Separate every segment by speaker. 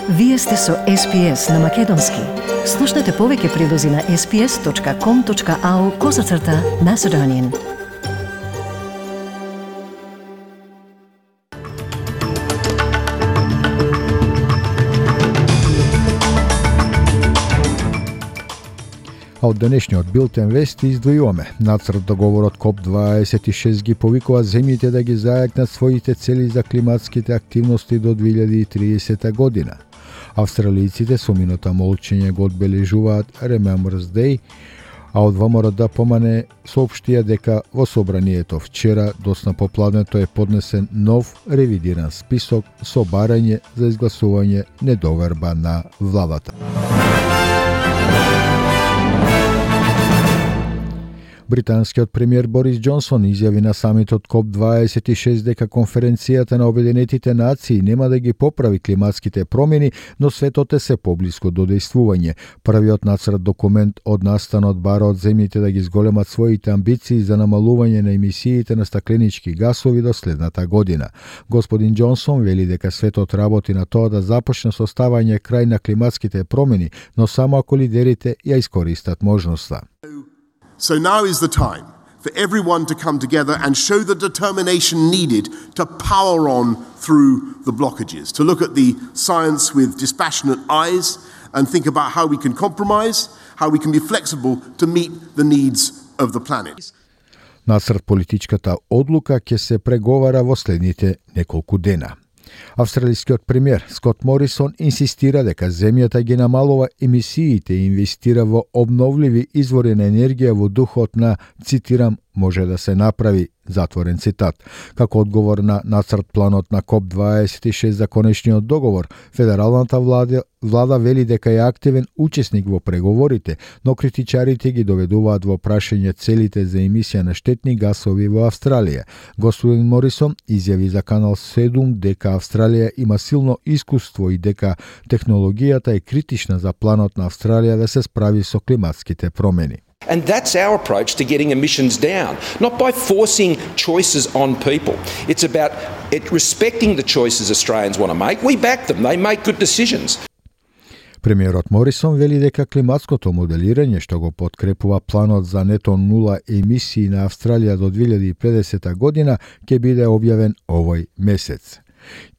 Speaker 1: Вие сте со SPS на Македонски. Слушнете повеќе прилози на sps.com.au/Macedonian.
Speaker 2: А од денешниот билтен вести издвојуваме. Нацрт договорот КОП-26 ги повикува земјите да ги зајакнат своите цели за климатските активности до 2030 година. Австралијците со минута молчење го одбележуваат Remembrance Day, а од ВМРО да помане соопштија дека во собранието вчера доцна попладнето е поднесен нов ревидиран список со барање за изгласување недоверба на владата. Британскиот премиер Борис Џонсон изјави на самитот КОП-26 дека конференцијата на Обединетите нации нема да ги поправи климатските промени, но светот е се поблиску до дејствување. Првиот нацрт документ од настанот бара од земјите да ги зголемат своите амбиции за намалување на емисиите на стакленички гасови до следната година. Господин Џонсон вели дека светот работи на тоа да започне со ставање крај на климатските промени, но само ако лидерите ја искористат можноста.
Speaker 3: So now is the time for everyone to come together and show the determination needed to power on through the blockages, to look at the science with dispassionate eyes and think about how we can compromise, how we can be flexible to meet the needs of the planet.
Speaker 2: Насред политичката одлука ќе се преговара во следните неколку дена. Австралискиот премиер Скот Морисон инсистира дека земјата ги намалува емисиите и инвестира во обновливи извори на енергија во духот на, цитирам, може да се направи, затворен цитат. Како одговор на нацрт планот на КОП-26 за конечниот договор, федералната влада вели дека е активен учесник во преговорите, но критичарите ги доведуваат во прашање целите за емисија на штетни гасови во Австралија. Господин Морисон изјави за Канал 7 дека Австралија има силно искуство и дека технологијата е критична за планот на Австралија да се справи со климатските промени.
Speaker 4: And that's our approach to getting emissions down, not by forcing choices on people. It's about respecting the choices Australians want to make. We back them. They make good decisions.
Speaker 2: Премиерот Морисон вели дека климатското моделирање што го подкрепува планот за нето нула емисии на Австралија до 2050 година ќе биде објавен овој месец.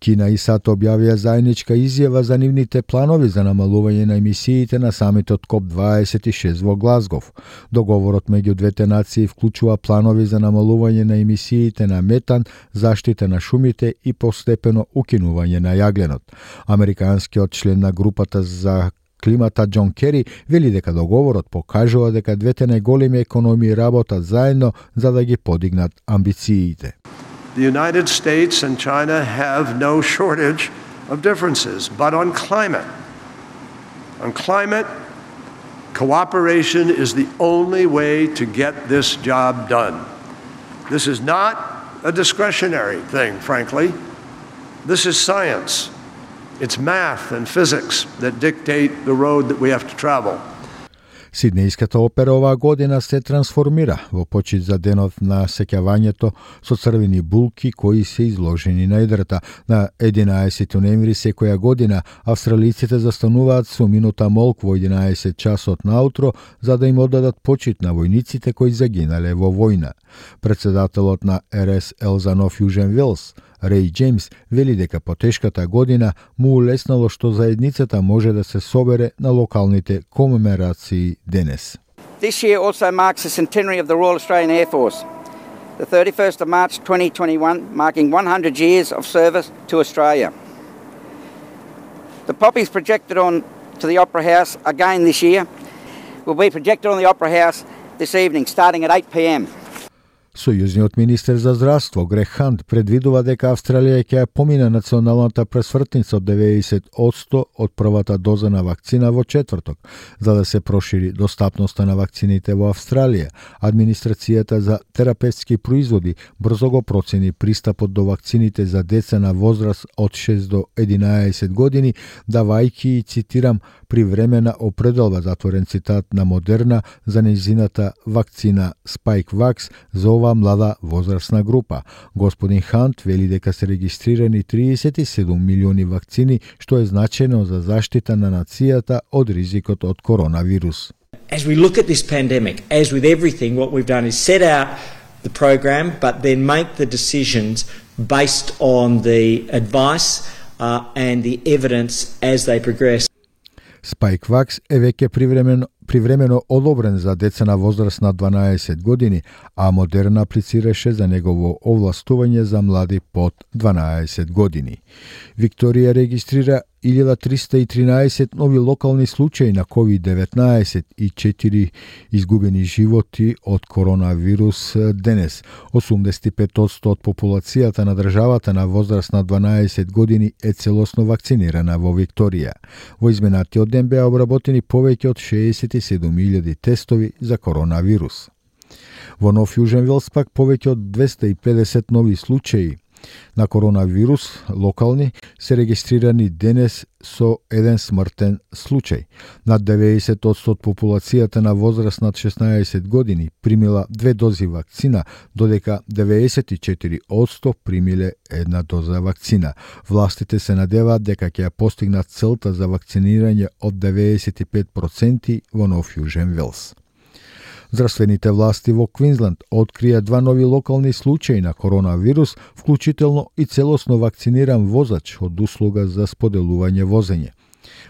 Speaker 2: Кина и САД објавија заедничка изјава за нивните планови за намалување на емисиите на самитот КОП-26 во Глазгов. Договорот меѓу двете нации вклучува планови за намалување на емисиите на метан, заштита на шумите и постепено укинување на јагленот. Американскиот член на групата за климата Џон Кери вели дека договорот покажува дека двете најголеми економии работат заедно за да ги подигнат амбициите.
Speaker 5: The United States and China have no shortage of differences, but on climate, cooperation is the only way to get this job done. This is not a discretionary thing, frankly. This is science. It's math and physics that dictate the road that we have to travel.
Speaker 2: Сиднејската опера оваа година се трансформира во почит за денот на сеќавањето со црвени булки кои се изложени на едрата. На 11 ноември секоја година австралиците застануваат со минута молк во 11 часот наутро за да им оддадат почит на војниците кои загинале во војна. Председателот на РСЛ за Нов Јужен Велс, Рей Џејмс, вели дека по тешката година му улеснало што заедницата може да се собере на локалните комеморации денес.
Speaker 6: This year also marks the centenary of the Royal Australian Air Force, the 31st of March 2021, marking 100 years of service to Australia. The poppies projected on to the Opera House again this year will be projected on the Opera House this evening, starting at 8 p.m.
Speaker 2: Сојузниот министер за здравство Грег Хант предвидува дека Австралија ќе помине националната пресвртница од 90% од првата доза на вакцина во четврток, за да се прошири достапноста на вакцините во Австралија. Администрацијата за терапевтски производи брзо го процени пристапот до вакцините за деца на возраст од 6 до 11 години, давајќи, цитирам, привремена определба, затворен цитат, на Модерна за нејзината вакцина Spikevax за оваа млада возрастна група. Господин Хант вели дека се регистрирани 37 милиони вакцини, што е значајно за заштита на нацијата од ризикот од коронавирус.
Speaker 7: As we look at this pandemic, as with everything, what we've done is set out the program, but then make the decisions based on the advice and the evidence as they progress.
Speaker 2: Spikevax е веќе привремено одобрен за деца на возраст на 12 години, а Модерна аплицираше за негово овластување за млади под 12 години. Викторија регистрира 1313 нови локални случаи на COVID-19 и 4 изгубени животи од коронавирус денес. 85% од популацијата на државата на возраст на 12 години е целосно вакцинирана во Викторија. Во изминатиот ден беа обработени повеќе од 67.000 тестови за коронавирус. Во Нов Јужен Велс пак повеќе од 250 нови случаи на коронавирус локални се регистрирани денес со еден смртен случај. Над 90% од популацијата на возраст над 16 години примила 2 дози вакцина, додека 94% примиле една доза вакцина. Властите се надеваат дека ќе ја постигнат целта за вакцинирање од 95% во Нов Јужен Велс. Здравствените власти во Квинсленд открија 2 нови локални случаи на коронавирус, вклучително и целосно вакциниран возач од услуга за споделување возење.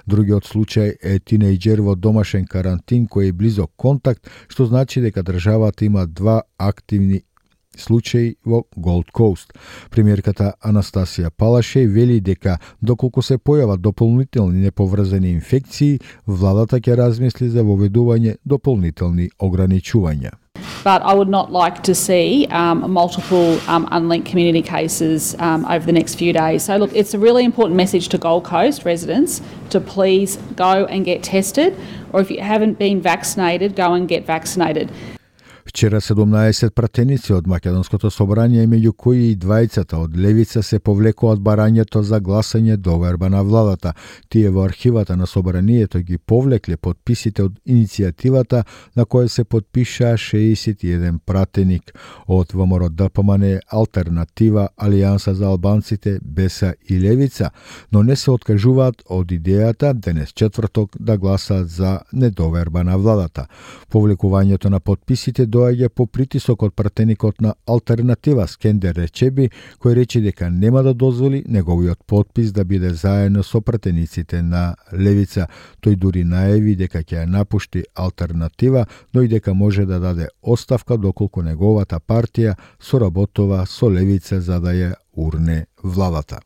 Speaker 2: Другиот случај е тинејџер во домашен карантин кој е близок контакт, што значи дека државата има 2 активни случаи во Голд Коуст. Премиерката Анастасија Палашеј вели дека доколку се појават дополнителни неповрзани инфекции, владата ќе размисли за воведување дополнителни ограничувања.
Speaker 8: But I would not like to see multiple unlinked community cases over the next few days. So look, it's a really important message to Gold Coast residents to please go and get tested, or if you haven't been vaccinated, go and get vaccinated.
Speaker 2: Вчера 17 пратеници од Македонското собрание, меѓу кои и двајцата од левица, се повлекоа од барањето за гласање доверба на владата. Тие во архивата на собранието ги повлекле подписите од иницијативата на која се подпишаа 61 пратеник од ВМРО ДПМН, Алтернатива, Алијанса за албанците, Беса и Левица, но не се откажуваат од идејата денес четврток да гласаат за недоверба на владата. Повлекувањето на подписите доаѓа по притисок од пратеникот на Алтернатива Скендер Речеби, кој рече дека нема да дозволи неговиот подпис да биде заедно со пратениците на Левица. Тој дури најави дека ќе ја напушти Алтернатива, но и дека може да даде оставка доколку неговата партија соработува со Левица за да ја урне владата.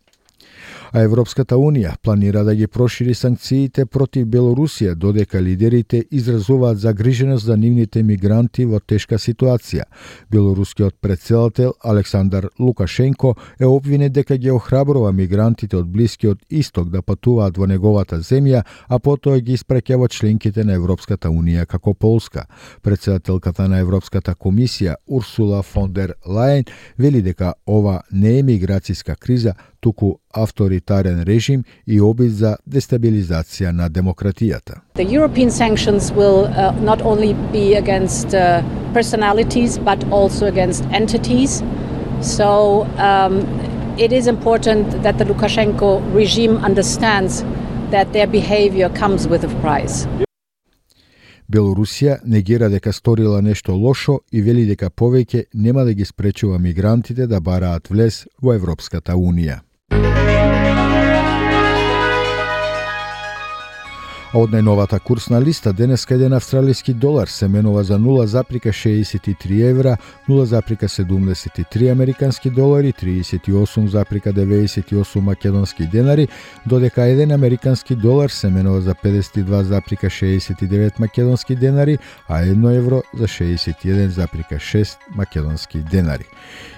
Speaker 2: А Европската Унија планира да ги прошири санкциите против Белорусија, додека лидерите изразуваат загриженост за нивните мигранти во тешка ситуација. Белорускиот претседател Александар Лукашенко е обвинет дека ги охрабрува мигрантите од Блискиот Исток да патуваат во неговата земја, а потоа ги испраќа во членките на Европската Унија како Полска. Претседателката на Европската комисија Урсула фон дер Лајен вели дека ова не е миграцијска криза, туку авторитарен режим и обид за дестабилизација на демократијата.
Speaker 9: The European sanctions will not only be against personalities but also against entities. So it is important that the Lukashenko regime understands that their behavior comes with a price.
Speaker 2: Белорусија негира дека сторила нешто лошо и вели дека повеќе нема да ги спречува мигрантите да бараат влез во Европската Унија. Од најновата курсна листа денеска еден австралиски долар се менува за 0,63 евра, 0,73 американски долари, 38,98 македонски денари, додека еден американски долар се менува за 52,69 македонски денари, а 1 евро за 61,6 македонски денари.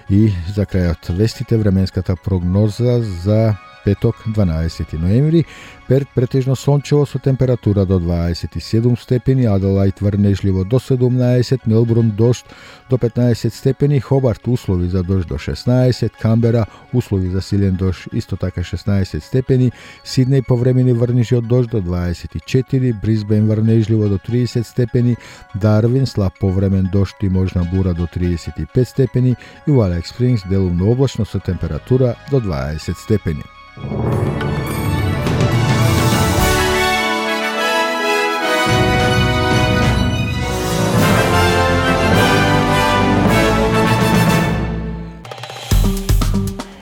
Speaker 2: И за крајот вестите, временската прогноза за петок 12 ноември, Перт претежно сончево со температура до 27 степени, Аделаид врнежливо до 17, Мелбурн дожд до 15 степени, Хобарт услови за дожд до 16, Камбера услови за силен дожд исто така 16 степени, Сиднеј повремени врнежи од дожд до 24, Брисбен врнежливо до 30 степени, Дарвин слаб повремен дожд и можна бура до 35 степени и во Алекс Спрингс делумно облачно со температура до 20 степени.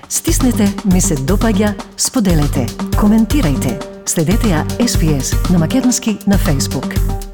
Speaker 1: Стиснете, ми се допаѓа, споделете, коментирајте. Следете ја SPS на Македонски на Facebook.